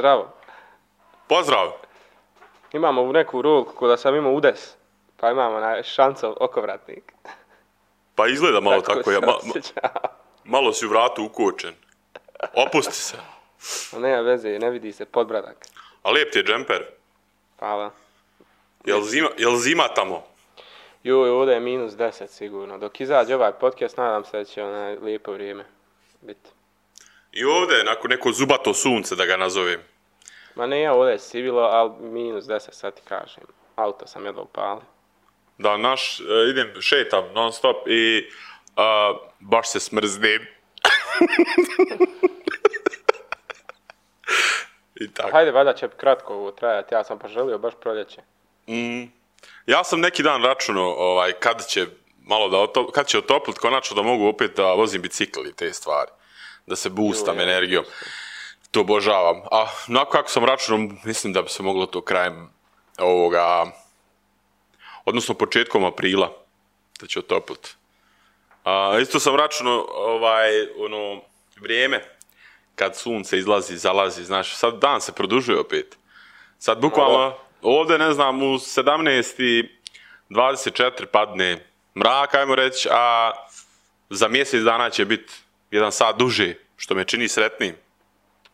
Zdravo. Pozdrav! Imamo u neku rulku ko da sam imao udes, pa imamo na šancov okovratnik. Pa izgleda malo Tako tako, se osjeća. malo si u vratu ukočen. Opusti se. Nema veze, ne vidi se podbradak. A lijep ti je džemper. Hvala. Jel zima tamo? Joj, ovdje je -10 sigurno. Dok izađe ovaj podcast, nadam se da će lijepo vrijeme biti. I ovdje je nakon neko zubato sunce, da ga nazovem. Ma ne, ovdje je sivilo, ali -10 sad ti kažem. Auto sam jedva upalio. Da, idem, šetam non stop i baš se smrznem. I tako. Hajde, valjda će kratko ovo trajati, ja sam poželio baš proljeće. Ja sam neki dan računao kad će otoplit konačno da mogu opet da vozim bicikl i te stvari. Da se boostam energijom. To obožavam. A nakon kako sam računao, mislim da bi se moglo to krajem odnosno početkom aprila da će otoplit. Isto sam računao vrijeme kad sunce izlazi, zalazi, znaš, sad dan se produžuje opet. Sad bukvalno ovdje, ne znam, u 17:24 padne mrak, ajmo reći, a za mjesec dana će biti 1 sat duže, što me čini sretnim.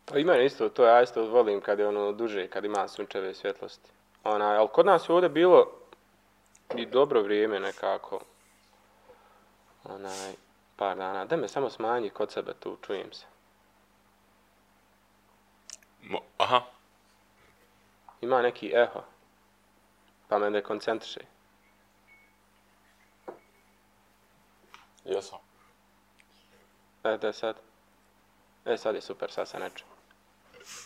Pa i mene isto, to ja isto volim kad je duže, kad ima sunčeve svjetlosti. Ali kod nas je ovdje bilo i dobro vrijeme nekako. Par dana. Da me samo smanji kod sebe tu, čujem se. Aha. Ima neki eho. Pa me dekoncentriše. Jesam. Da sad. Sad je super, sad se ne čujem.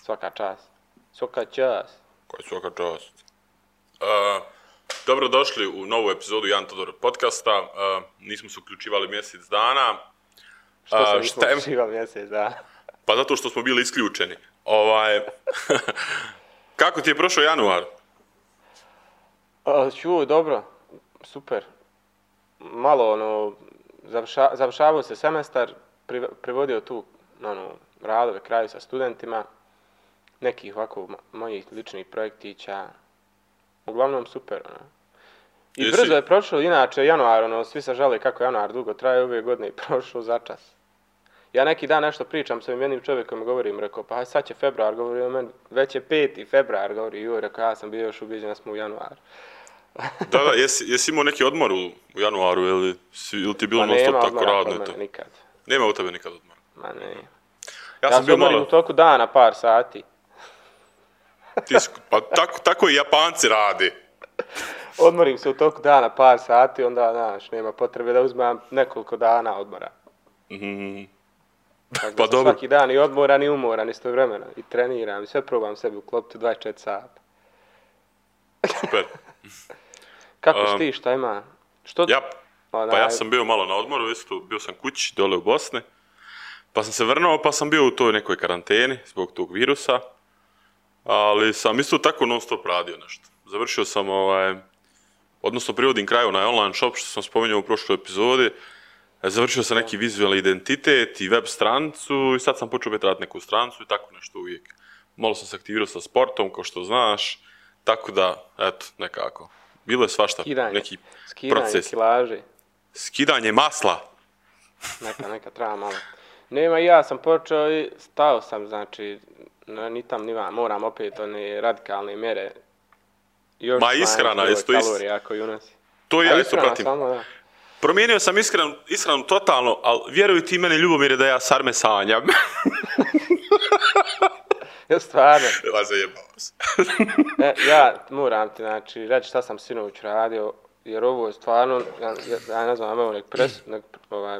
Svaka čast. Svaka čast. Koja svaka čast. Dobro došli u novu epizodu Jan Todor podcasta. Nismo se uključivali mjesec dana. Što se nismo uključivali mjesec dana? Pa zato što smo bili isključeni. Kako ti je prošao januar? Dobro. Super. Malo završavao se semestar, privodio tu radove kraju sa studentima, nekih ovako mojih ličnih projektića. Uglavnom super. I brzo je prošlo, inače januar, svi se žale kako januar dugo traje, ove godine i prošlo začas. Ja neki dan nešto pričam sa jednim čovjekom i govorim, rekao, pa sad će februar, govori o meni, već je 5. februar, govori, rekao, ja sam bio još ubijeđen da smo u januaru. Da, jesi imao neki odmor u januaru, ili ti je bilo non stop tako radno? Pa nema odmora nikad. Nema u tebe nikad odmora? Ma ne. Ja sam bio odmorim u toku dana par sati. Pa tako i Japanci rade. Odmorim se u toku dana par sati, onda, znaš, nema potrebe da uzmem nekoliko dana odmora. Pa dobro. Svaki dan i odmoran i umoran istovremeno. I treniram i sve probam sebi uklopiti 24 sata. Super. Kako si ti, šta ima? Pa ja sam bio malo na odmoru, isto bio sam kući dole u Bosni. Pa sam se vrnuo, pa sam bio u toj nekoj karanteni zbog tog virusa. Ali sam isto tako non stop radio nešto. Završio sam odnosno privodim kraju na online shop, što sam spomenuo u prošloj epizodi. Završio sam neki vizualni identitet i web stranicu i sad sam počeo raditi neku stranicu i tako nešto uvijek. Malo sam se aktivirao sa sportom, kao što znaš, tako da, eto, nekako. Bilo je svašta, neki proces. Kilaže. Skidanje masla. Neka treba malo. Nema, ja sam počeo i stao sam, znači, ni tam ni vam, moram opet one radikalne mjere. Ma ishrana, isto kalorija koji unosi. To ja isto pratim. Samo, da. Promijenio sam ishranu totalno, ali vjeruj ti meni, Ljubomire, da ja sarme sanjam. Ja stvarno. Zajebao se. Ja moram ti, znači, reći šta sam sinoć radio, jer ovo je stvarno, ja ne znam, evo nek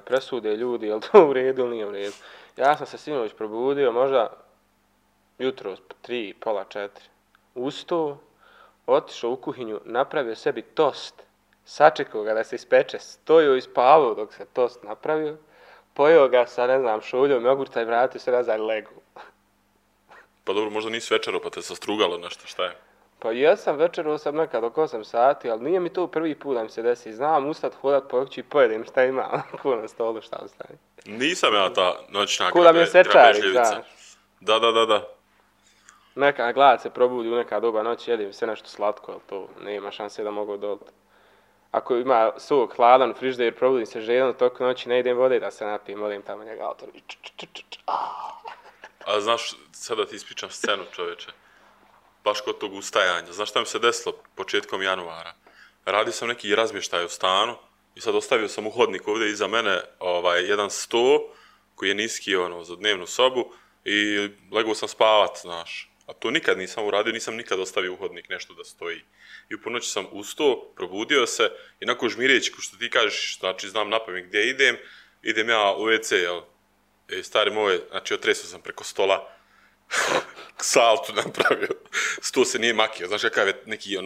presude ljudi, je li to u redu ili nije u redu. Ja sam se sinoć probudio, možda jutro 3, pola 4. Ustao, otišao u kuhinju, napravio sebi tost, sačekao ga da se ispeče, stojio i spavao dok se tost napravio, pojeo ga sa, ne znam, šuljom, jogurta i vratio se nazad legu. Pa dobro, možda nisi večerao pa te sastrugalo nešto, šta je? Pa jesam, večerao sam nekad oko 8 sati, ali nije mi to prvi put da mi se desi. Znam ustat, hodat po kući i pojedem šta ima, ko na stolu šta ostane. Nisam ja ta noćna grabežljivica. Da mi je sečari, znaš. Da. Neka glad se probudi u neka doba noći, jedim sve nešto slatko, ali to nema šanse da mogu odoliti. Ako ima sok hladan u frižider, probudim se žedan toku noći, ne idem vode da se napijem, odem tamo njega autor. A znaš, sada ti ispričam scenu, čoveče. Baš kod tog ustajanja. Znaš šta mi se desilo početkom januara? Radio sam neki razmještaj u stanu i sad ostavio sam u hodnik ovdje iza mene jedan sto koji je niski za dnevnu sobu i legao sam spavat, znaš. A to nikad nisam uradio, nisam nikad ostavio u hodnik nešto da stoji. I u ponoći sam ustao, probudio se i nakon žmireći, ko što ti kažeš, znači znam napamet gdje idem ja u WC, jel? Stari moj, znači otresao sam preko stola, saltu napravio, sto se nije makio, znaš kakav je neki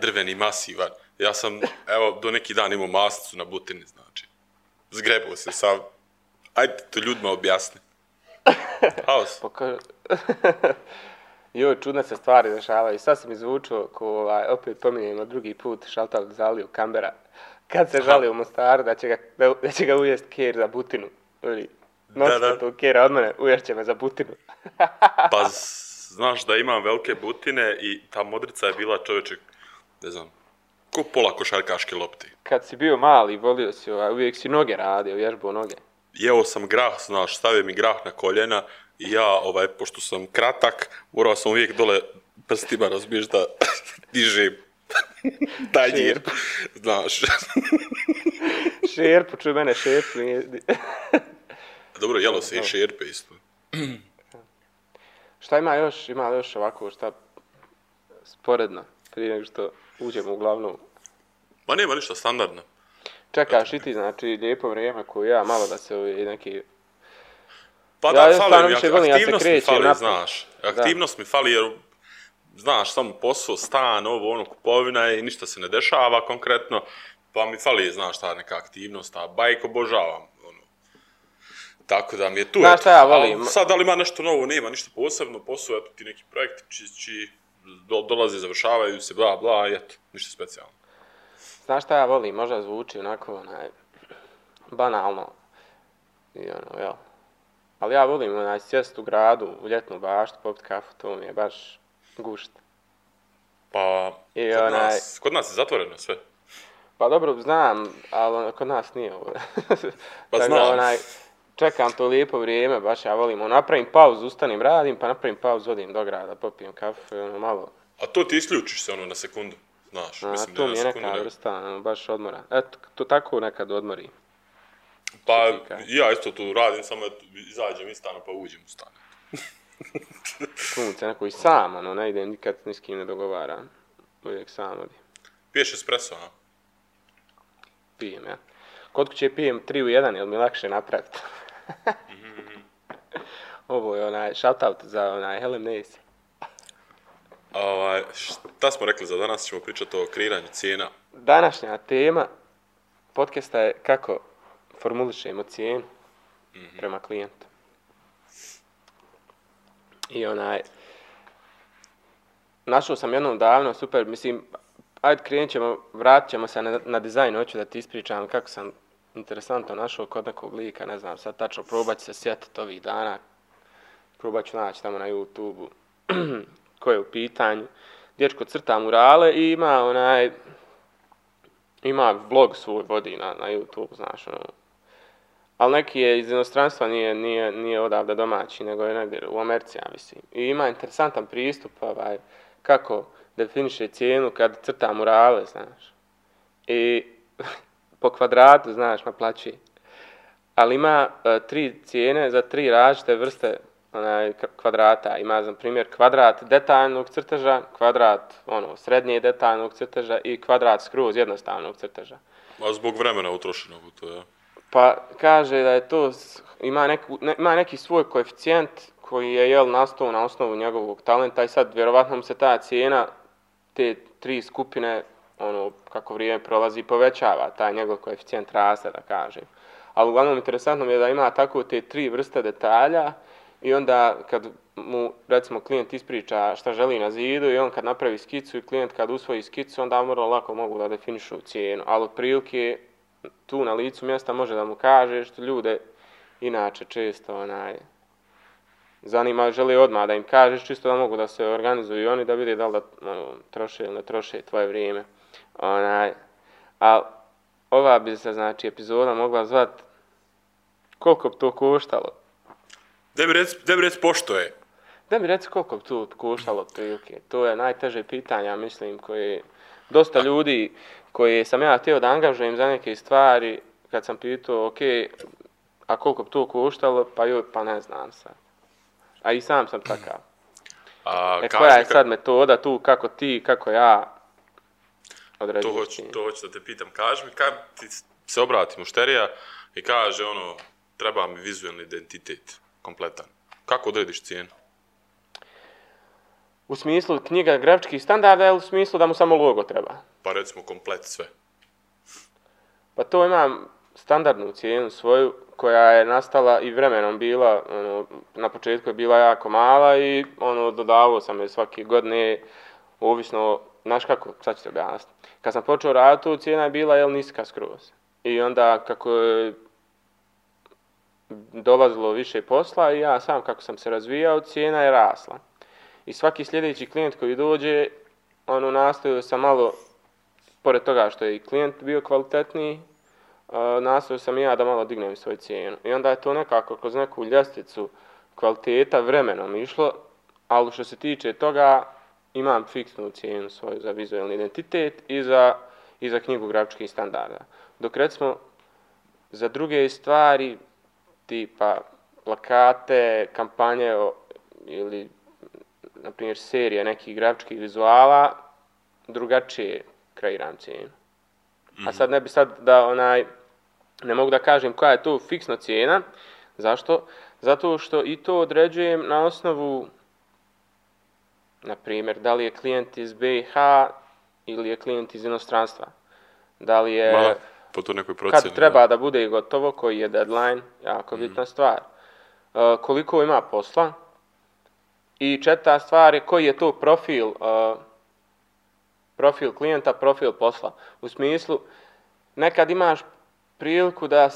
drveni masivan. Ja sam, evo, do neki dan imao masnicu na butini, znači. Zgrebao se sam. Ajde to ljudima objasni. Haos. Joj, čudne se stvari dešavaju. Sad sam izvučio, opet pominjemo drugi put, šaltal Zaliju Kambera. Kad se žali u Mostaru da će ga ujest ker za butinu. Nosite tu kera od mene, uješće me za butinu. Pa znaš da imam velike butine i ta modrica je bila, čovječe, ne znam, ko pola košarkaške lopte. Kad si bio mali, volio si, uvijek si noge radio, vježbao noge. Jeo sam grah, znaš, stavio mi grah na koljena i ja, pošto sam kratak, morao sam uvijek dole prstima, razbiješ, da dižem tanjir, znaš. Šerpu, čuj mene, šerpu. Dobro, jelo se i šerpe isto. Šta ima još? Ima još ovako šta sporedno, prije nego što uđemo u glavnu. Ma nema ništa, standardno. Čekaš i ti, znači, lijepo vrijeme koje ja, malo da se neki... Pa da, fali mi, aktivnost mi fali, znaš. Aktivnost mi fali jer, znaš, samo posao, stan, kupovina i ništa se ne dešava konkretno, pa mi fali, znaš, ta neka aktivnost, a bajk obožavam. Tako da mi je tu. Znaš šta ja volim? Sad, da li ima nešto novo, nema ništa posebno, posao, eto ti neki projekti čiji dolaze, završavaju se, bla, bla, eto, ništa specijalno. Znaš šta ja volim? Možda zvuči onako, banalno. Jel. Ali ja volim, sjest u gradu, u ljetnu baštu, popit kafu, to mi je baš gušt. Pa, kod nas je zatvoreno sve. Pa dobro, znam, ali kod nas nije ovo. Pa znam. Čekam to lijepo vrijeme, baš ja volim. Napravim pauzu, ustanim, radim, pa napravim pauzu, odim do grada, popijem kafu, malo. A to ti isključiš se na sekundu, znaš. Mislim, to mi je neka vrsta, baš odmora. Eto, to tako nekad odmori. Pa ja isto tu radim, samo izađem iz stana pa uđem u stan. Punce, neko i sam, ne idem nikad ni s kim ne dogovaram. Uvijek sam odim. Piješ espresso, a? Pijem, ja. Kod kuće pijem 3 u 1, jer mi lakše napraviti. Ovo je shoutout za Helen Nace. Šta smo rekli za danas? Ćemo pričati o kreiranju cijena. Današnja tema podcasta je kako formulišemo cijenu prema klijentu. I našao sam jednom davno, super, mislim, ajde vratit ćemo se na dizajn, hoću da ti ispričam kako sam interesantno našao kod nekog lika, ne znam, sad tačno, probat ću se sjetiti ovih dana, probat ću naći tamo na YouTube-u ko je u pitanju. Dječko crta murale i ima vlog svoj vodi na YouTube, znaš, ali neki je iz inostranstva, nije odavde domaći, nego je negdje u Americi, ja mislim. I ima interesantan pristup, kako definiše cijenu kad crta murale, znaš. I po kvadratu, znaš, naplaćuje. Ali ima 3 cijene za 3 različite vrste kvadrata. Ima, za primjer, kvadrat detaljnog crteža, kvadrat srednje detaljnog crteža i kvadrat skroz jednostavnog crteža. A zbog vremena utrošenog u to, ja? Pa kaže da je to, ima neki svoj koeficijent koji je nastao na osnovu njegovog talenta i sad vjerovatno mu se ta cijena, te 3 skupine, kako vrijeme prolazi, povećava, taj njegov koeficijent raste, da kažem. Ali uglavnom interesantno mi je da ima tako te 3 vrste detalja i onda kad mu, recimo, klijent ispriča šta želi na zidu i on kad napravi skicu i klijent kad usvoji skicu, onda vrlo lako mogu da definišu cijenu. Ali otprilike tu na licu mjesta može da mu kaže što ljude inače često zanima, žele odmah da im kažeš, čisto da mogu da se organizuju i oni da vide da li da troše ili ne troše tvoje vrijeme. A ova bi se, znači, epizoda mogla zvati koliko bi to koštalo. Da bi reci pošto je. Da mi reci koliko bi to koštalo otprilike. To je najteže pitanja, mislim, koje dosta ljudi koje sam ja htio da angažujem za neke stvari, kad sam pitao, ok, a koliko bi to koštalo, pa ne znam sad. A i sam sam takav. Koja je sad metoda tu, kako ja određujem? To hoću da te pitam. Kaži mi, kad ti se obrati mušterija i kaže treba mi vizualni identitet kompletan. Kako odrediš cijenu? U smislu knjiga grafičkih standarda ili u smislu da mu samo logo treba? Pa recimo komplet sve. Pa to imam standardnu cijenu svoju koja je nastala i vremenom bila, na početku je bila jako mala i dodavao sam je svake godine, ovisno, znaš kako, sad ću te objasniti. Kad sam počeo raditi, tu cijena je bila niska skroz. I onda kako je dolazilo više posla i ja sam kako sam se razvijao, cijena je rasla. I svaki sljedeći klijent koji dođe, nastojao sam malo, pored toga što je i klijent bio kvalitetniji, nastojao sam i ja da malo dignem svoju cijenu. I onda je to nekako kroz neku ljestvicu kvaliteta vremenom išlo, ali što se tiče toga, imam fiksnu cijenu svoju za vizualni identitet i za knjigu grafičkih standarda. Dok recimo za druge stvari, tipa plakate, kampanje ili na primjer serije nekih grafičkih vizuala, drugačije kreiram cijenu. A sad ne bi ne mogu da kažem koja je to fiksna cijena. Zašto? Zato što i to određujem na osnovu, na primjer, da li je klijent iz BiH ili je klijent iz inostranstva. Da li je, po to nekoj procjeni, kad treba da bude gotovo, koji je deadline, jako bitna stvar. Koliko ima posla. I četvrta stvar je koji je to profil klijenta, profil posla. U smislu, nekad imaš priliku da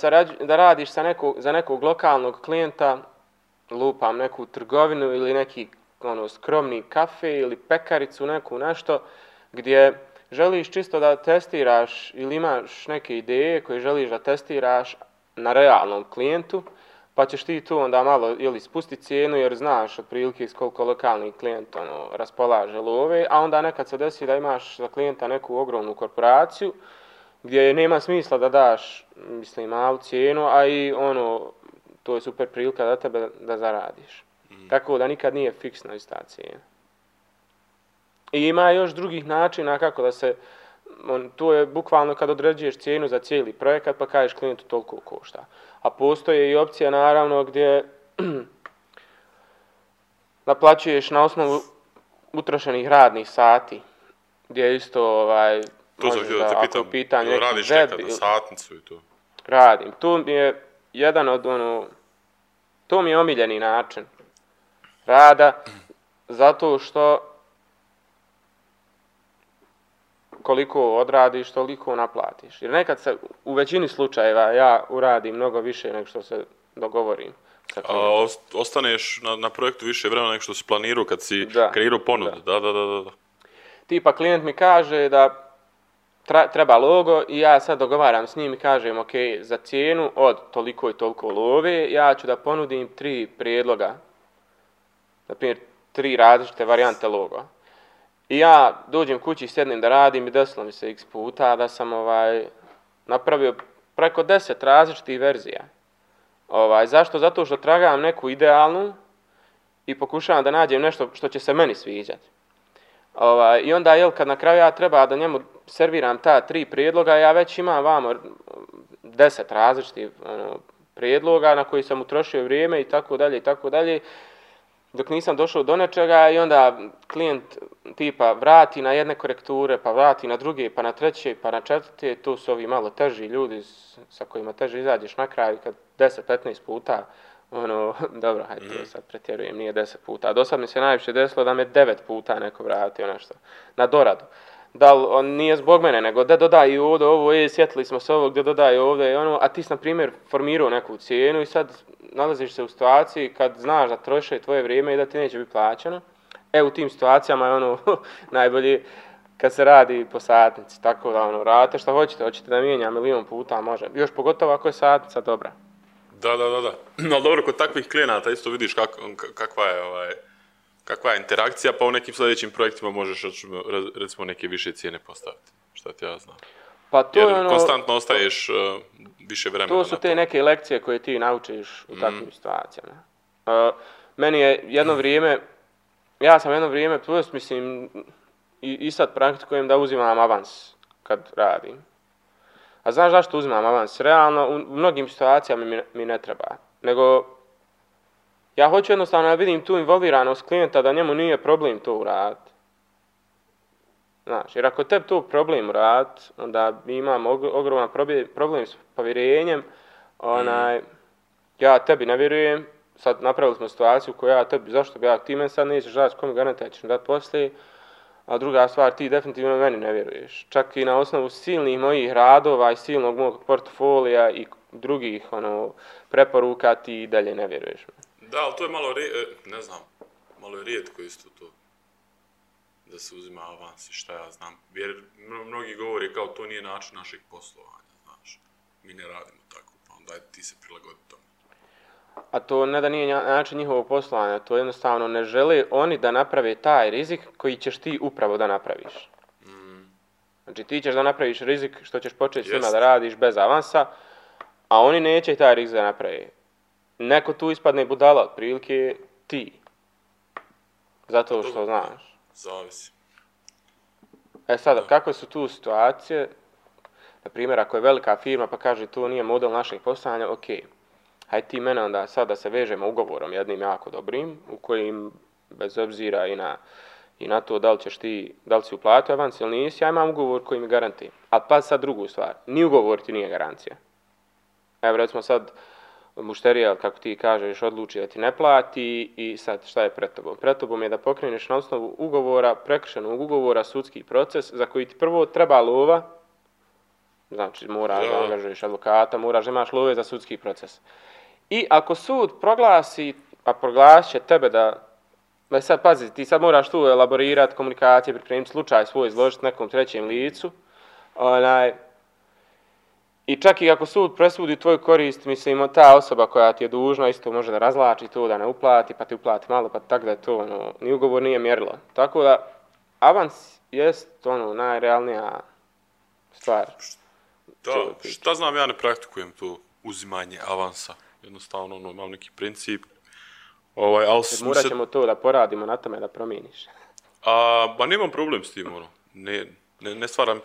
radiš za nekog lokalnog klijenta, lupam neku trgovinu ili neki skromni kafe ili pekaricu, neku nešto, gdje želiš čisto da testiraš ili imaš neke ideje koje želiš da testiraš na realnom klijentu, pa ćeš ti tu onda malo ili spustiti cijenu jer znaš otprilike s koliko lokalni klijent raspolaže love, a onda nekad se desi da imaš za klijenta neku ogromnu korporaciju gdje nema smisla da daš, mislim, malu cijenu, a i to je super prilika za tebe da zaradiš. Tako da nikad nije fiksna ista cijena. I ima još drugih načina kako da se, to je bukvalno kad određuješ cijenu za cijeli projekat pa kažeš klijentu toliko košta. A postoje i opcija naravno gdje naplaćuješ na osnovu utrošenih radnih sati, gdje isto to sam htio da te pitam, radiš nekad na satnicu i to? Radim. To mi je jedan od to mi je omiljeni način rada, zato što koliko odradiš, toliko naplatiš. Jer nekad se, u većini slučajeva, ja uradim mnogo više nego što se dogovorim. A ostaneš na projektu više vremena nego što si planirao kad si kreirao ponudu. Da. Tipa klijent mi kaže da treba logo i ja sad dogovaram s njim i kažem ok, za cijenu od toliko i toliko love ja ću da ponudim 3 prijedloga. Na primjer, 3 različite varijante loga. I ja dođem kući, sjednem da radim i desilo mi se x puta da sam napravio preko 10 različitih verzija. Zašto? Zato što tragam neku idealnu i pokušavam da nađem nešto što će se meni sviđati. I onda, kad na kraju ja treba da njemu serviram ta 3 prijedloga, ja već imam vamo 10 različitih prijedloga na koji sam utrošio vrijeme i tako dalje, dok nisam došao do nečega i onda klijent tipa vrati na jedne korekture, pa vrati na druge, pa na treće, pa na četvrte, tu su ovi malo teži ljudi sa kojima teže izađeš na kraju kad 10-15 puta, dobro, hajde, to sad pretjerujem, nije 10 puta. Do sad mi se najviše desilo da me 9 puta neko vratio nešto na doradu. da li on nije zbog mene, nego da dodaj ovdje ovo, sjetili smo se ovog, da dodaj ovdje ono, a ti si, na primjer, formirao neku cijenu i sad nalaziš se u situaciji kad znaš da troše tvoje vrijeme i da ti neće biti plaćeno. U tim situacijama je ono najbolje kad se radi po satnici, tako da ono, radite što hoćete da mijenja milion puta, može. Još pogotovo ako je satnica dobra. Da. Ali dobro, kod takvih klijenata isto vidiš kakva je interakcija, pa u nekim sljedećim projektima možeš recimo neke više cijene postaviti. Šta ti ja znam. Pa to jer je ono, konstantno ostaješ više vremena na to. To su te neke lekcije koje ti naučiš u takvim situacijama. Meni je jedno vrijeme, ja sam jedno vrijeme, mislim, i sad praktikujem da uzimam avans kad radim. A znaš zašto uzimam avans? Realno, u mnogim situacijama mi ne treba. Nego, ja hoću jednostavno da vidim tu involviranost klijenta da njemu nije problem to uraditi. Znaš, jer ako tebi to problem uraditi, onda imam ogroman problem s povjerenjem, ja tebi ne vjerujem, sad napravili smo situaciju koju ja tebi, zašto bi ti meni sad nećeš dati, komu garantaj ćeš mi dati poslije, a druga stvar, ti definitivno meni ne vjeruješ. Čak i na osnovu silnih mojih radova i silnog mog portfolija i drugih preporuka ti i dalje ne vjeruješ. Da, ali to je malo, malo je rijetko isto to. Da se uzima avans i šta ja znam. Jer mnogi govori kao to nije način našeg poslovanja, znaš. Mi ne radimo tako, pa onda ti se prilagodi tome. A to ne da nije način njihovog poslovanja, to jednostavno ne žele oni da naprave taj rizik koji ćeš ti upravo da napraviš. Znači ti ćeš da napraviš rizik što ćeš početi s njima da radiš bez avansa, a oni neće taj rizik da naprave. Neko tu ispadne budala, otprilike ti. Zato što znaš. Zavisi. Sada, kakve su tu situacije? Na primjer, ako je velika firma pa kaže to nije model našeg poslovanja, ok. Hajde ti mene onda sad da se vežemo ugovorom jednim jako dobrim, u kojim bez obzira i na to da li si uplatio avans ili nisi, ja imam ugovor koji mi garantira. A pa sad drugu stvar, ni ugovor ti nije garancija. Evo recimo sad mušterija, kako ti kažeš, odluči da ti ne plati i sad šta je pred tobom? Pred tobom je da pokreneš na osnovu ugovora, prekršenog ugovora, sudski proces za koji ti prvo treba lova, znači moraš da angažuješ advokata, moraš da imaš love za sudski proces. I ako sud proglasi, a proglasit će tebe da sad pazi, ti sad moraš tu elaborirati komunikacije, pripremiti slučaj svoj, izložiti nekom trećem licu, i čak i ako sud presudi tvoju korist, mislim, ta osoba koja ti je dužna isto može da razlači to, da ne uplati, pa ti uplati malo, pa tako da je to, ni ugovor nije mjerilo. Tako da, avans jest, najrealnija stvar. Da, šta znam, ja ne praktikujem to uzimanje avansa. Jednostavno, imam neki princip. Morat ćemo to da poradimo na tome da promijeniš. Ba nemam problem s tim, ne stvara mi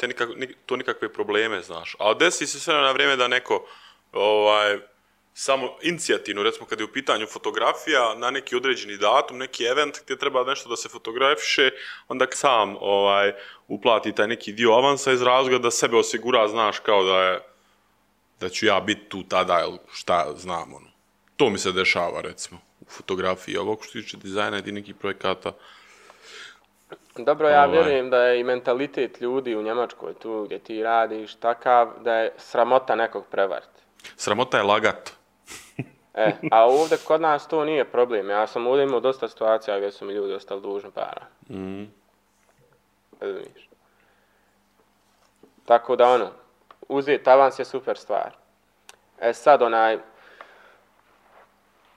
to nikakve probleme, znaš. A desi se sve na vrijeme da neko samo inicijativno, recimo kad je u pitanju fotografija, na neki određeni datum, neki event gdje treba nešto da se fotografiše, onda sam uplati taj neki dio avansa iz razloga da sebe osigura, znaš, kao da ću ja biti tu tada, ili šta znam, To mi se dešava, recimo, u fotografiji, ovog što tiče dizajna i nekih projekata. Dobro, ja vjerujem da je i mentalitet ljudi u Njemačkoj, tu gdje ti radiš, takav da je sramota nekog prevariti. Sramota je lagat. A ovdje kod nas to nije problem. Ja sam ovdje imao dosta situacija gdje su mi ljudi ostali dužni para. Tako da uzeti avans je super stvar. Sad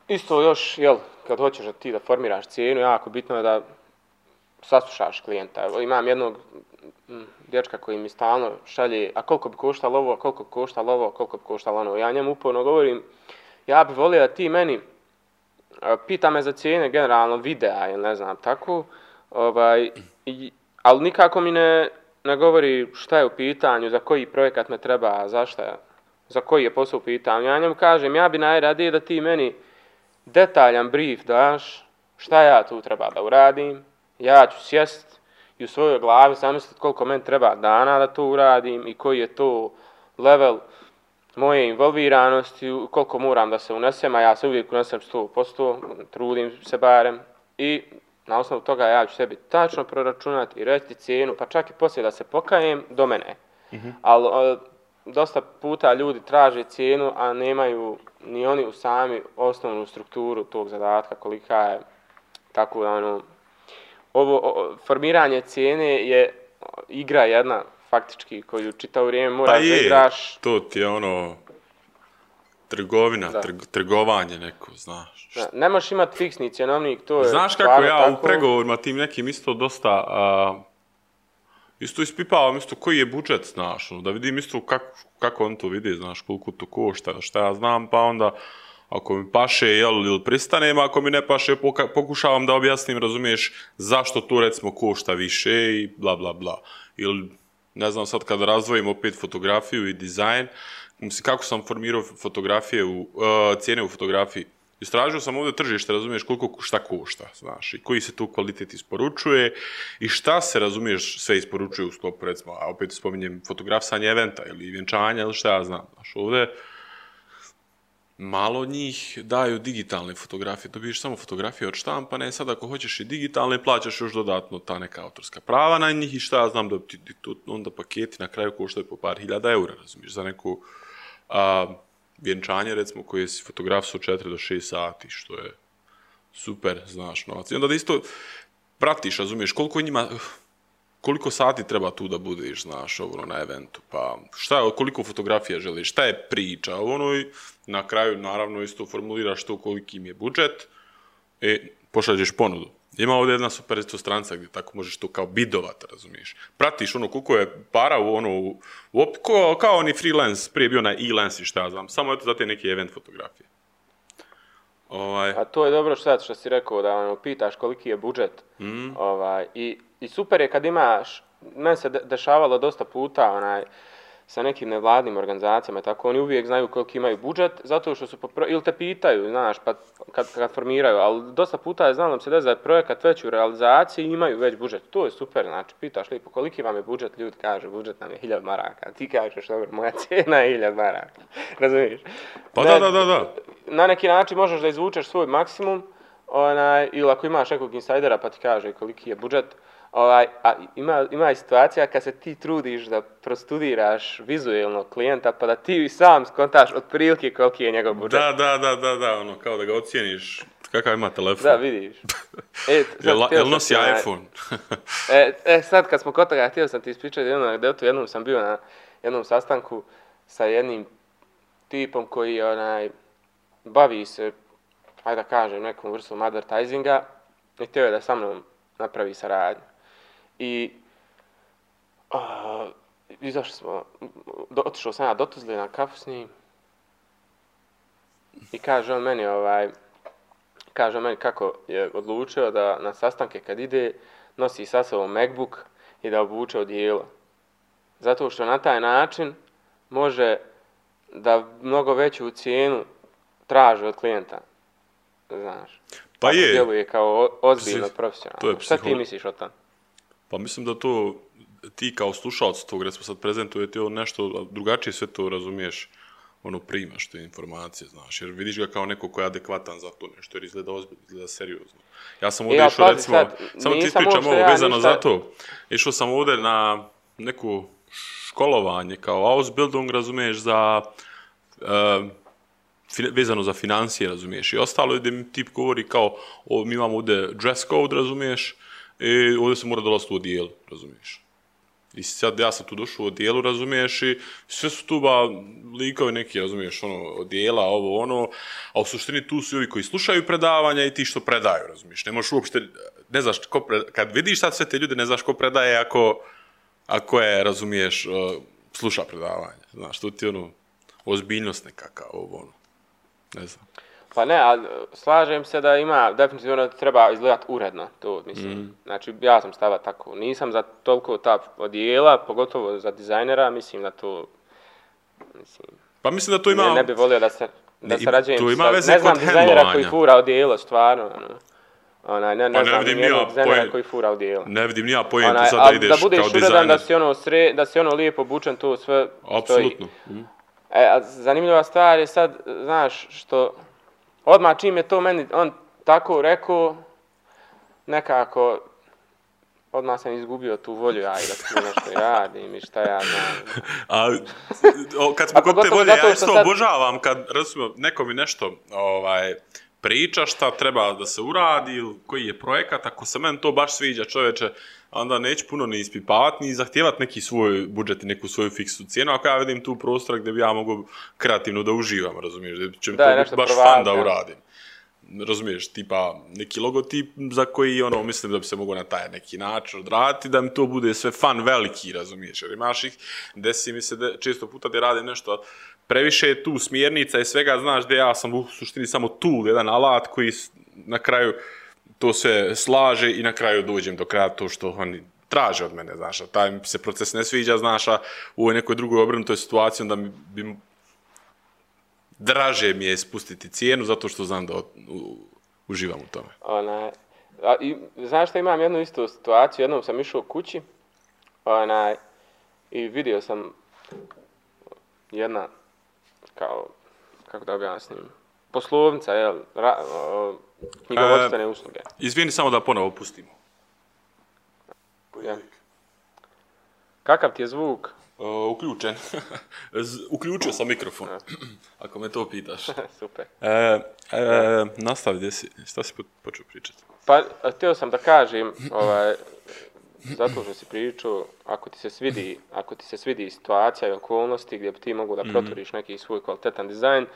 isto još, kad hoćeš ti da formiraš cijenu, jako bitno je da saslušaš klijenta. Imam jednog dječka koji mi stalno šalje, a koliko bi koštalo ovo, koliko bi koštalo ovo, koliko bi koštalo ono. Ja njemu uporno govorim, ja bih volio da ti meni pita me za cijene generalno videa ili ne znam tako, ali nikako mi ne govori šta je u pitanju, za koji projekat me treba, za koji je posao u pitanju. Ja njemu kažem, ja bi najradije da ti meni detaljan brief daš, šta ja tu treba da uradim, ja ću sjest i u svojoj glavi zamisliti koliko meni treba dana da to uradim i koji je to level moje involviranosti, koliko moram da se unesem, a ja se uvijek unesem 100%, trudim se barem i na osnovu toga ja ću sebi tačno proračunati i reći cijenu, pa čak i poslije da se pokajem, do mene. Ali dosta puta ljudi traže cijenu, a nemaju ni oni u sami osnovnu strukturu tog zadatka, kolika je, tako da ono, formiranje cijene je igra jedna, faktički, koju čitavo vrijeme moraš da igraš. To ti je ono, trgovina, trgovanje neko, znaš. Da, ne možeš imati fiksni cjenovnik, to je... Znaš kako ja u pregovorima tim nekim isto dosta... isto ispipavam isto koji je budžet, znaš, da vidim isto kako on to vidi, znaš, koliko to košta, šta ja znam, pa onda ako mi paše, ili pristanem, ako mi ne paše, pokušavam da objasnim, razumiješ, zašto to recimo košta više i bla bla bla. Ili, ne znam, sad kada razdvojim opet fotografiju i dizajn, mislim, kako sam formirao fotografije, cijene u fotografiji. Istražio sam ovdje tržište, razumiješ, koliko šta košta, znaš, i koji se tu kvalitet isporučuje i šta se, razumiješ, sve isporučuje u sklopu, recimo, a opet spominjem fotografisanje eventa ili vjenčanja ili šta ja znam, znaš, ovdje malo od njih daju digitalne fotografije, dobiješ samo fotografije od štampane, sad ako hoćeš i digitalne, plaćaš još dodatno ta neka autorska prava na njih i šta ja znam da ti onda paketi na kraju koštaju po par hiljada eura, razumiješ, za neku vjenčanje, recimo, koje si fotografisao 4 do 6 sati, što je super, znaš, novac. I onda da isto pratiš, razumiješ, koliko sati treba tu da budeš, znaš, na eventu, pa koliko fotografija želiš, šta je priča, i na kraju, naravno, isto formuliraš to koliki im je budžet, pošalješ ponudu. Ima ovdje jedna super isto stranica gdje tako možeš to kao bidovat, razumiješ. Pratiš koliko je para kao oni freelance, prije bio na e-lens i šta ja znam, samo eto za te neke event fotografije. A to je dobro što si rekao, da pitaš koliki je budžet. I super je kad imaš, meni se dešavalo dosta puta sa nekim nevladnim organizacijama, tako oni uvijek znaju koliki imaju budžet, zato što su ili te pitaju, znaš, pa kad formiraju, ali dosta puta je znalo se da je projekat već u realizaciji i imaju već budžet. To je super, znači, pitaš lijepo koliki vam je budžet, ljudi kažu budžet nam je 1000 maraka, ti kažeš, dobro, moja cijena je 1000 maraka, razumiješ? Pa da. Na neki način možeš da izvučeš svoj maksimum, ili ako imaš nekog insajdera pa ti kaže koliki je budžet, a ima i situacija kad se ti trudiš da prostudiraš vizualnog klijenta pa da ti sam skontaš otprilike koliki je njegov budžet. Da, kao da ga ocijeniš kakav ima telefon. Da, vidiš. Jel nosi iPhone? Sad kad smo kod toga, htio sam ti ispričati jednu anegdotu, jednom sam bio na jednom sastanku sa jednim tipom koji bavi se, ajde da kažem, nekom vrstom advertisinga i htio je da sa mnom napravi saradnju. I izašli smo, otišao sam ja do Tuzle na kafu s njim i kaže on meni kako je odlučio da na sastanke kad ide nosi sa sobom MacBook i da obuče odijelo. Zato što na taj način može da mnogo veću cijenu traži od klijenta. Znaš. Pa je. Djeluje kao ozbiljno profesionalno. Šta ti misliš o tom? Pa mislim da to ti kao slušalac tog, recimo sad prezentujete nešto drugačije, sve to razumiješ, primaš te informacije, znaš, jer vidiš ga kao neko ko je adekvatan za to nešto, jer izgleda ozbiljno, izgleda seriozno. Ja sam ovdje išao, recimo, samo ti ispričam ovo vezano za to, išao sam ovdje na neku školovanje kao Ausbildung, razumiješ, za vezano za financije, razumiješ, i ostalo gdje mi tip govori kao, mi imamo ovdje dress code, razumiješ, i ovdje se mora dolaziti u odijelu, razumiješ. I sad ja sam tu došao u odijelu, razumiješ, i sve su tu likovi neki, razumiješ, odijela, a u suštini tu su ovi koji slušaju predavanja i ti što predaju, razumiješ. Ne možeš uopšte, ne znaš kad vidiš sad sve te ljude, ne znaš ko predaje ako je, razumiješ, sluša predavanja, znaš, to ti ozbiljnost nekakav, ne znam. Pa ne, ali slažem se da ima, definitivno treba izgledati uredno, to mislim. Znači, ja sam stava tako, nisam za toliko ta odijela, pogotovo za dizajnera, mislim da to, Pa mislim da to ima... Ne bi volio da sarađujem sa, ne znam dizajnera koji fura odijelo, stvarno, ne znam nijednog dizajnera koji fura odijelo. Ne vidim nija pojentu sad da ideš kao dizajner. Da budeš uredan, da si lijepo obučen, to sve stoji. Apsolutno. Zanimljiva stvar je sad, znaš, što odmah čim je to meni on tako rekao, nekako odmah sam izgubio tu volju, da tu nešto radim i šta ja znam. Kad smo kod te volje, ja isto obožavam kad neko mi nešto priča šta treba da se uradi ili koji je projekat, ako se meni to baš sviđa, čoveče, onda neću puno ni ispipavati, ni zahtijevati neki svoj budžet i neku svoju fiksnu cijenu, ako ja vidim tu prostora gdje bi ja mogu kreativno da uživam, razumiješ, gdje će mi to biti baš fan da uradim. Razumiješ, tipa neki logotip za koji mislim da bi se mogao na taj neki način odraditi, da mi to bude sve fan veliki, razumiješ, jer imaš ih, desi mi se često puta da radim nešto previše je tu smjernica i svega, znaš da ja sam u suštini samo tool, jedan alat koji na kraju to sve slaže i na kraju dođem do kraja to što oni traže od mene, znaš, a taj mi se proces ne sviđa, znaš, a u ovoj nekoj drugoj obrnutoj situaciji onda bi draže mi je spustiti cijenu zato što znam da uživam u tome. Znaš što imam jednu istu situaciju, jednom sam išao kući i vidio sam jedna kako da objasnim, poslovnica, knjigovodstvene usluge. Izvini samo da ponovo pustimo. Ja. Kakav ti je zvuk? Uključen. Uključio sam mikrofon, ako me to pitaš. Super. Nastavi, šta si počeo pričati? Pa, htio sam da kažem, zato što si pričao, ako ti se svidi situacija i okolnosti gdje bi ti mogu da protvoriš neki svoj kvalitetan dizajn,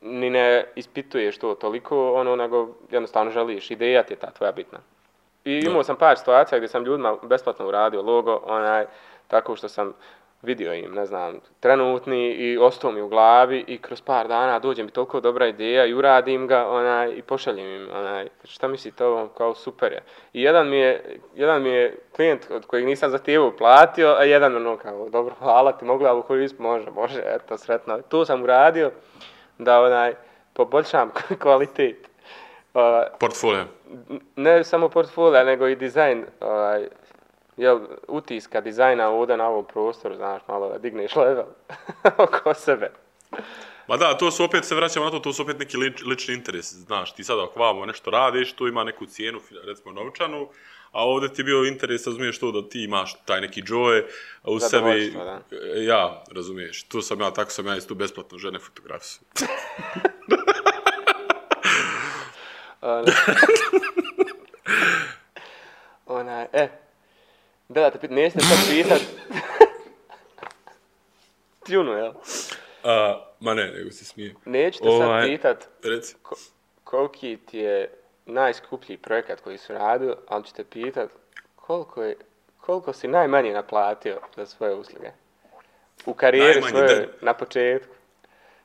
ni ne ispituješ to toliko, nego jednostavno želiš, ideja ti je ta tvoja bitna. I imao sam par situacija gdje sam ljudima besplatno uradio logo, tako što sam vidio im, ne znam, trenutni i ostao mi u glavi i kroz par dana dođe mi toliko dobra ideja i uradim ga i pošaljem im, šta mislite ovo, kao super je. I jedan mi je klijent od kojeg nisam zahtijevao platio, a jedan kao, dobro, hvala ti, mogu ja koristiti, može, eto, sretno. Tu sam uradio da poboljšam kvalitet. Portfolio. Ne samo portfolio, nego i dizajn, utiska dizajna ovdje na ovom prostoru, znaš, malo da digneš level oko sebe. Ma da, to su opet, se vraćamo na to su opet neki lični interes, znaš, ti sada ako vamo nešto radiš, tu ima neku cijenu, recimo novčanu, a ovdje ti je bio interes, razumiješ to da ti imaš taj neki joy u sebi. Da. Ja, razumiješ, tako sam ja isto besplatno žene fotografiju. Da te pitam, nećete sad pitat. Tjunu, jel? Ma ne, nego se smijem. Nećete sad pitat koliki ti je najskuplji projekat koji su radili, ali ćete pitat koliko si najmanje naplatio za svoje usluge. U karijeri svoje, na početku.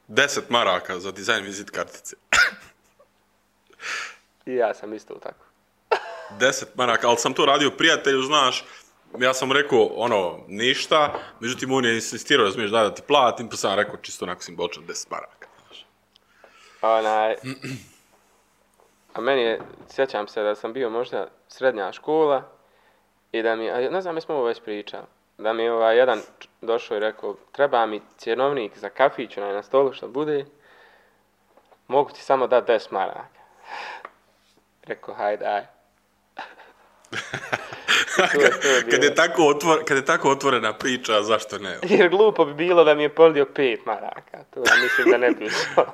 10 maraka za dizajn vizit kartice. I ja sam isto tako. 10 maraka, ali sam to radio prijatelju, znaš, ja sam rekao, ništa, međutim on je insistirao, razumiješ, da ti platim, pa sam rekao čisto onako simbolično 10 maraka, znaš. A meni je, sjećam se da sam bio možda srednja škola i da mi, ne znam, mi smo ovo već pričali, da mi je jedan došao i rekao, treba mi cjenovnik za kafić na stolu što bude, mogu ti samo dati 10 maraka. Rekao, hajde, aj. Kad je tako otvorena priča, zašto ne? Jer glupo bi bilo da mi je ponudio 5 maraka. To ja mislim da ne bi išlo.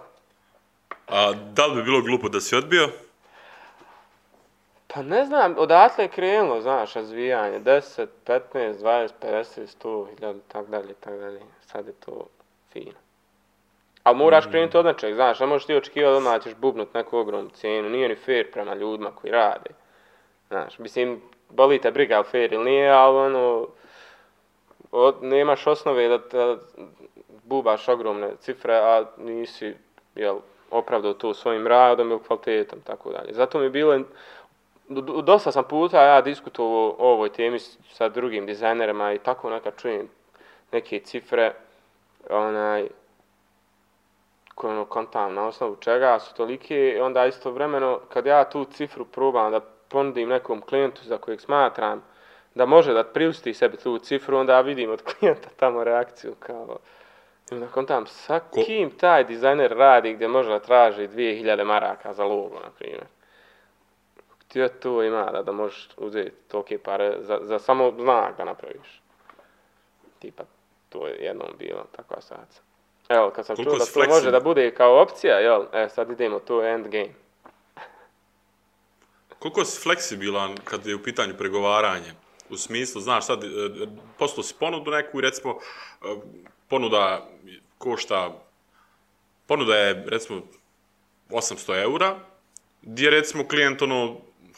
A da li bi bilo glupo da si odbio? Pa ne znam, odatle je krenulo, znaš, razvijanje. 10, 15, 20, 50, 100, 1000, tak dalje. Sad je to fino. Ali moraš krenuti od nečeg, znaš, ne možeš ti očekivati da ćeš bubnut neku ogromnu cijenu. Nije ni fair prema ljudima koji rade. Znaš, mislim, boli te briga u fair ili nije, ali nemaš osnove da bubaš ogromne cifre, a nisi, opravdao to svojim radom ili kvalitetom, tako dalje. Zato mi je bilo, dosta sam puta ja diskutovao o ovoj temi sa drugim dizajnerima i tako nekad čujem neke cifre, koje kontam na osnovu čega su tolike, onda istovremeno kad ja tu cifru probam da ponudim nekom klijentu za kojeg smatram da može da priušti sebi tu cifru, onda vidim od klijenta tamo reakciju kao i onda kontam sa kim taj dizajner radi gdje može da traži 2000 maraka za logo, na primjer. Gdje to ima da možeš uzeti tolike pare za samo znak da napraviš? Tipa, to je jednom bilo takva situacija. Evo, kad sam čuo da to može da bude kao opcija, jel, sad idemo, to je endgame. Koliko si fleksibilan kad je u pitanju pregovaranje? U smislu, znaš, sad poslao si ponudu neku i recimo ponuda je recimo 800 eura, gdje recimo klijent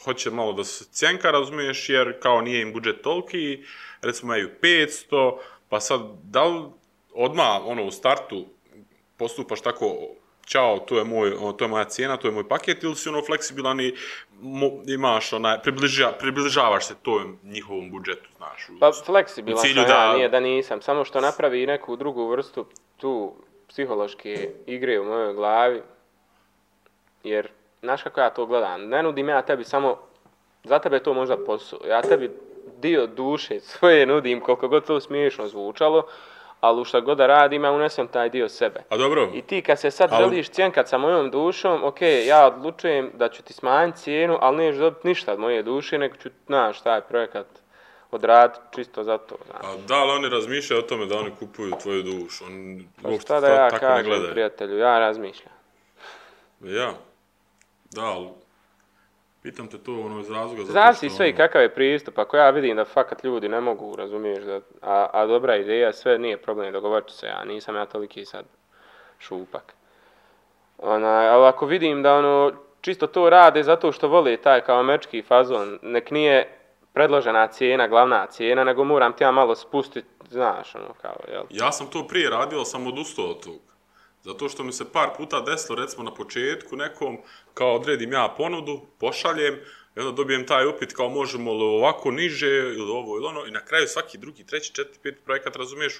hoće malo da se cjenka, razumiješ, jer kao nije im budžet toliki, recimo imaju 500, pa sad da li odmah u startu postupaš tako, ćao, to je moja cijena, to je moj paket, ili si fleksibilan i imaš približavaš se tom njihovom budžetu, znaš. Pa fleksibilan sam nije da nisam, samo što napravi neku drugu vrstu tu psihološke igre u mojoj glavi, jer, znaš kako ja to gledam, ne nudim ja tebi samo, za tebe je to možda posao, ja tebi dio duše svoje nudim, koliko god to smiješno zvučalo, ali u šta god da radim, ja unesem taj dio sebe. A dobro. I ti kad se sad želiš cjenkat sa mojom dušom, ok, ja odlučujem da ću ti smanjiti cijenu, ali neću dobiti ništa od moje duše, nego ću, znaš, taj projekat odraditi čisto za to. Znaš. A da li oni razmišljaju o tome da oni kupuju tvoju dušu? Pa šta da ja kažem, prijatelju, ja razmišljam. Ja? Da, ali pitam te to iz razloga... Zavisi sve i kakav je pristup. Ako ja vidim da fakat ljudi ne mogu, razumiješ, a dobra ideja, sve nije problem, dogovorit ću se ja, nisam ja toliki sad šupak. Ali ako vidim da čisto to rade zato što vole taj kao američki fazon, nek nije predložena cijena, glavna cijena, nego moram ti ja malo spustiti, znaš, kao, jel? Ja sam to prije radio, ali sam odustao od toga. Zato što mi se par puta desilo, recimo na početku nekom, kao odredim ja ponudu, pošaljem, i onda dobijem taj upit kao možemo li ovako niže, ili ovo ili ono, i na kraju svaki drugi, treći, četiri, peti projekat, razumiješ,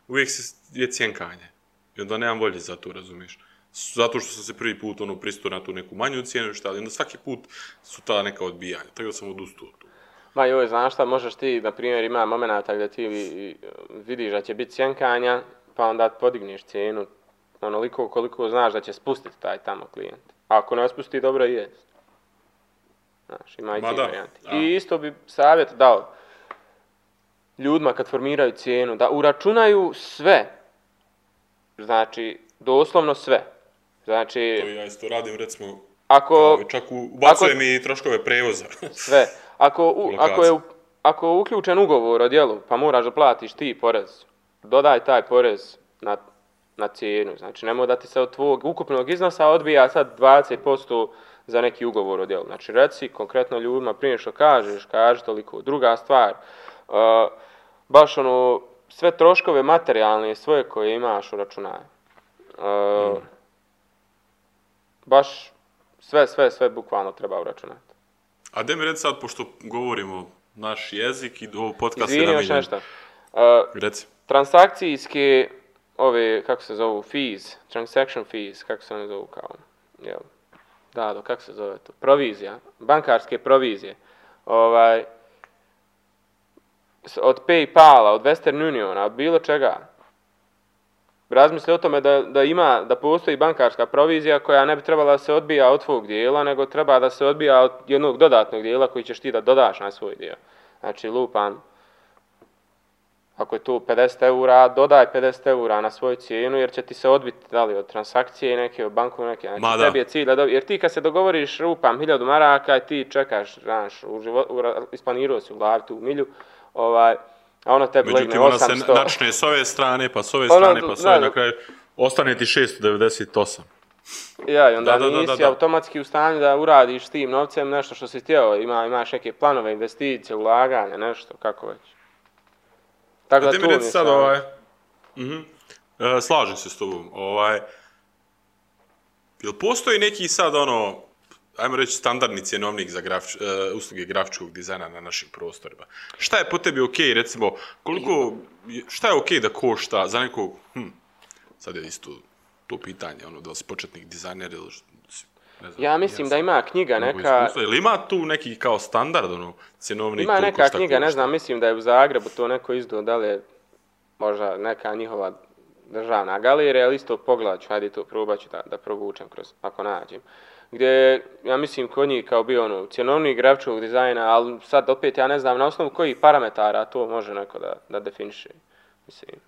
uvijek je cjenkanje. I onda nemam volje za to, razumiješ. Zato što sam se prvi put pristao na tu neku manju cijenu, šta, i onda svaki put su ta neka odbijanja, tako da sam odustao od toga. Ma joj, znaš šta, možeš ti, na primjer, ima momenata gdje ti vidiš da će biti cjenkanja, pa onda podigneš cijenu onoliko koliko znaš da će spustiti taj tamo klijent. A ako ne spusti, dobro je. Znaš, ima i ti varijanti. I isto bi savjet dao ljudima kad formiraju cijenu, da uračunaju sve. Znači, doslovno sve. Znači... To ja isto radim, recimo, čak ubacujem i troškove prevoza. Sve. Ako je uključen ugovor o djelu, pa moraš da platiš ti porez, dodaj taj porez na cijenu. Znači, nemoj da ti se od tvojeg ukupnog iznosa odbija sad 20% za neki ugovor o djelu. Znači, reci konkretno ljudima prije što kažeš, kaži toliko. Druga stvar, baš sve troškove materijalne svoje koje imaš u računaju. Baš sve bukvalno treba uračunati. A gdje mi reći sad, pošto govorimo naš jezik i ovo podcast je namijenjen... Izvini još nešto. Reci. Transakcijske, kako se zovu, fees, transaction fees, kako se one zovu kao, jel? Da, kako se zove to? Provizija, bankarske provizije. Od PayPala, od Western Uniona, od bilo čega. Razmisli o tome da postoji bankarska provizija koja ne bi trebala da se odbija od tvog dijela, nego treba da se odbija od jednog dodatnog dijela koji ćeš ti da dodaš na svoj dio. Znači, lupam, ako je tu 50 eura, dodaj 50 eura na svoju cijenu, jer će ti se odbiti da li od transakcije neke, od banku neke. Znači, tebi je cilj da jer ti kad se dogovoriš, rupam 1000 maraka i ti čekaš, znaš, isplanirao si u glavi tu milju, a ono tebi legne 800. Međutim, ona se načne s ove strane, pa s ove strane, pa s ove, na kraju ostane ti 698. Ja, i onda nisi automatski u stanju da uradiš s tim novcem nešto što si htio, imaš neke planove, investicije, ulaganja, nešto, kako već. Tako da mi reći sad, slažem se s tobom, jel postoji neki sad ajmo reći standardni cjenovnik za usluge grafičkog dizajna na našim prostorima? Šta je po tebi okej, recimo, šta je okej da košta za nekog, sad je isto to pitanje, da si početnik dizajner ili ne znam. Ja mislim da ima knjiga neka... Ili ima tu neki kao standard, cjenovnik? Ima neka knjiga, ne znam, mislim da je u Zagrebu to neko izdao, da li je možda neka njihova državna galerija, ali isto pogledat ću, hajde to probat ću da provučem kroz, ako nađem. gdje ja mislim kod njih kao bio ono cjenovnik grafičkog dizajna, ali sad opet ja ne znam na osnovu kojih parametara to može neko da definiše. Mislim,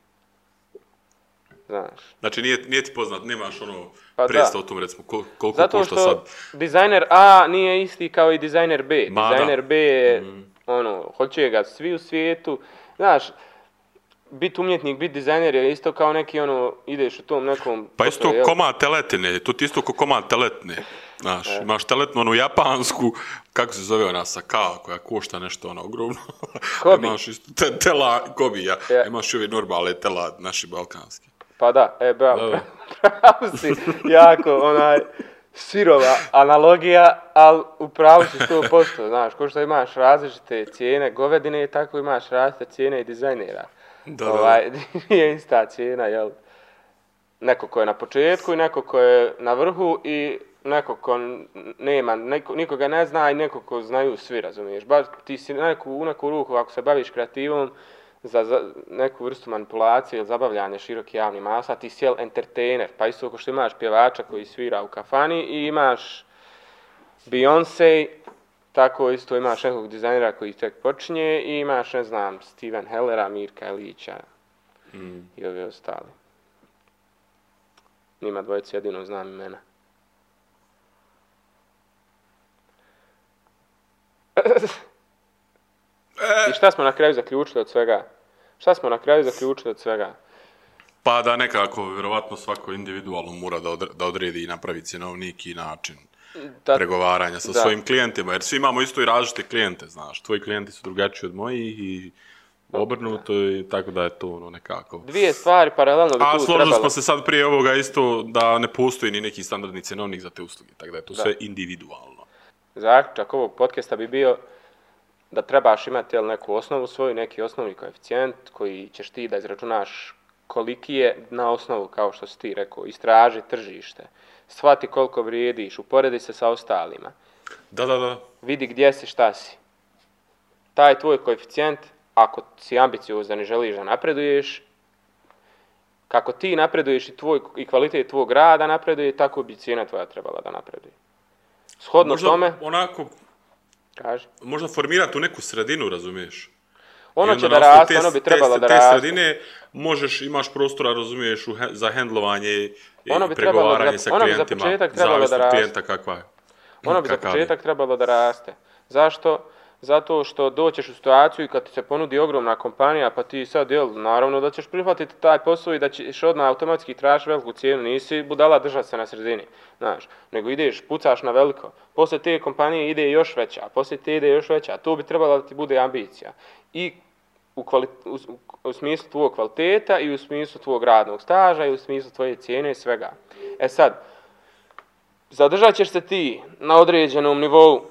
znaš. Znači nije ti poznat, nemaš ono predstav o tom recimo koliko zato košta sad. Zato što dizajner A nije isti kao i dizajner B. Dizajner B je ono, hoće ga svi u svijetu. Znaš, biti umjetnik, biti dizajner je isto kao neki ono, ideš u tom nekom... Pa isto komad teletine, to ti isto kao komad teletine. Znaš, imaš teletnu onu japansku, kako se zove ona Sakao, koja košta nešto ono ogromno. Kobi. Imaš isto Kobi, ja. Imaš ove normale tela, naši balkanski. Pa da, bravo si, jako sirova analogija, ali u pravu si 100%, znaš, ko što imaš različite cijene govedine, tako imaš različite cijene i dizajnera. Nije ista cijena, jel? Neko ko je na početku i neko ko je na vrhu i neko ko nema, nikoga ne zna i neko ko znaju svi, razumiješ. Baš ti si u neku ruku, ako se baviš kreativom, za neku vrstu manipulacije ili zabavljanja široki javni masa, ti si entertainer, pa isto ako što imaš pjevača koji svira u kafani i imaš Beyoncé, tako isto imaš nekog dizajnera koji tek počinje i imaš, ne znam, Steven Hellera, Mirka Elića i ovi ostali. Njima dvojica jedino znam imena. I šta smo na kraju zaključili od svega? Pa da nekako, vjerovatno svako individualno mora da odredi i napravi cjenovnik i način pregovaranja sa svojim klijentima, jer svi imamo isto i različite klijente, znaš. Tvoji klijenti su drugačiji od mojih i obrnuto i tako da je to ono nekako. Dvije stvari paralelno bi tu trebalo. A složili smo se sad prije ovoga isto da ne postoji ni neki standardni cjenovnik za te usluge, tako da je to sve individualno. Zaključak ovog podcasta bi bio da trebaš imati neku osnovu svoju, neki osnovni koeficijent koji ćeš ti da izračunaš koliki je na osnovu, kao što si ti rekao, istraži tržište, shvati koliko vrijediš, uporedi se sa ostalima. Da. Vidi gdje si, šta si. Taj tvoj koeficijent, ako si ambiciozan i želiš da napreduješ, kako ti napreduješ i kvalitet tvog rada napreduje, tako bi cijena tvoja trebala da napreduje. Shodno tome... Možda formirati u neku sredinu, razumiješ? Ono će da raste, ono bi trebalo da raste. Te sredine imaš prostora, razumiješ, za hendlovanje i pregovaranje sa klijentima. Zavisno od klijenta kakva je. Ono bi za početak trebalo da raste. Zašto? Zato što doćeš u situaciju i kad ti se ponudi ogromna kompanija, pa ti sad, naravno da ćeš prihvatiti taj posao i da ćeš odmah automatski tražiti veliku cijenu. Nisi budala držati se na sredini, znaš, nego ideš, pucaš na veliko. Poslije te kompanije ide još veća, poslije te ide još veća. To bi trebalo da ti bude ambicija. I u smislu tvojeg kvaliteta i u smislu tvojeg radnog staža i u smislu tvoje cijene i svega. E sad, zadržat ćeš se ti na određenom nivou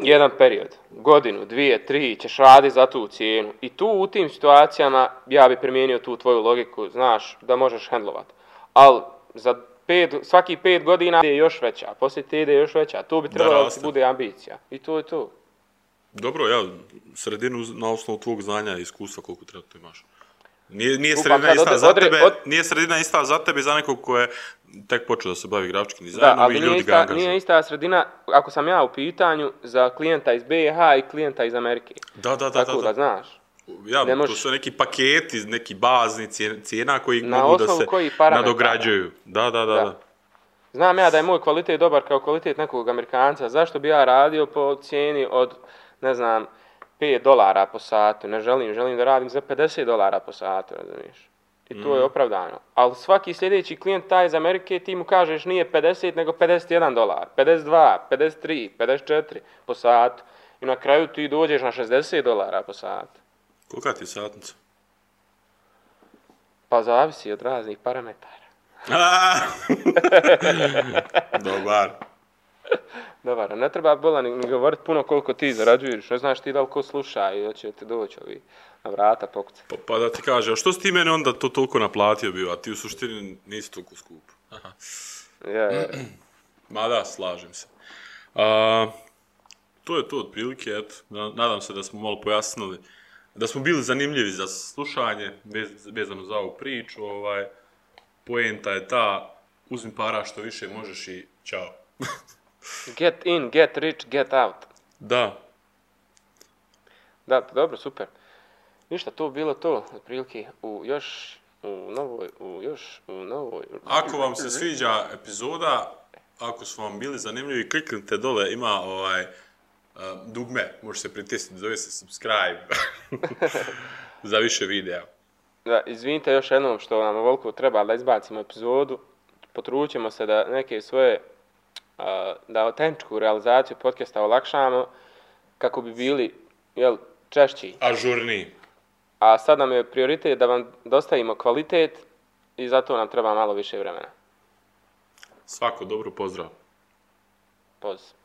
jedan period, godinu, 2, 3, ćeš raditi za tu cijenu. I tu u tim situacijama ja bi primijenio tu tvoju logiku, znaš, da možeš hendlovat. Ali za svaki 5 godina ide još veća, poslije te ide još veća. To bi trebalo da ti bude ambicija. I to je to. Dobro, sredinu na osnovu tvog znanja i iskustva koliko treba to imaš. Nije sredina ista za tebe i za nekog ko je tek počeo da se bavi grafičkim dizajnom i ljudi ga angažuju. Da, ali nije ista sredina, ako sam ja u pitanju, za klijenta iz BiH i klijenta iz Amerike. Da. Tako da znaš. To su neki paketi, neki bazni cijena koji mogu da se nadograđuju. Da. Znam ja da je moj kvalitet dobar kao kvalitet nekog Amerikanca. Zašto bi ja radio po cijeni od, ne znam, $5 po satu? Ne želim da radim za $50 po satu, razumiješ? I to je opravdano. Ali svaki sljedeći klijent taj iz Amerike, ti mu kažeš nije 50 nego $51, 52, 53, 54 po satu. I na kraju ti dođeš na $60 po satu. Kolika ti je satnica? Pa zavisi od raznih parametara. Dobar, ne treba bola ni govoriti puno koliko ti zarađuješ, ne znaš ti da li ko sluša i hoće ti doći ovi na vrata pokuca. Pa da ti kaže, a što si ti meni onda to toliko naplatio bio, a ti u suštini nisi toliko skup? Ja. Ma da, slažem se. To je to otprilike, eto, nadam se da smo malo pojasnili, da smo bili zanimljivi za slušanje, vezano za ovu priču, poenta je ta, uzmi para što više možeš i čao. Get in, get rich, get out. Da. Da, dobro, super. Ništa, to bilo to, otprilike, u novoj... Ako vam se sviđa epizoda, ako su vam bili zanimljivi, kliknite dole, ima dugme, može se pritisniti, zove se subscribe za više videa. Da, izvinite još jednom što nam ovoliko treba da izbacimo epizodu. Potrućemo se da neke svoje, da autentičku realizaciju podcasta olakšamo kako bi bili, češći. Ažurniji. A sad nam je prioritet da vam dostavimo kvalitet i zato nam treba malo više vremena. Svako dobro, pozdrav. Pozdrav.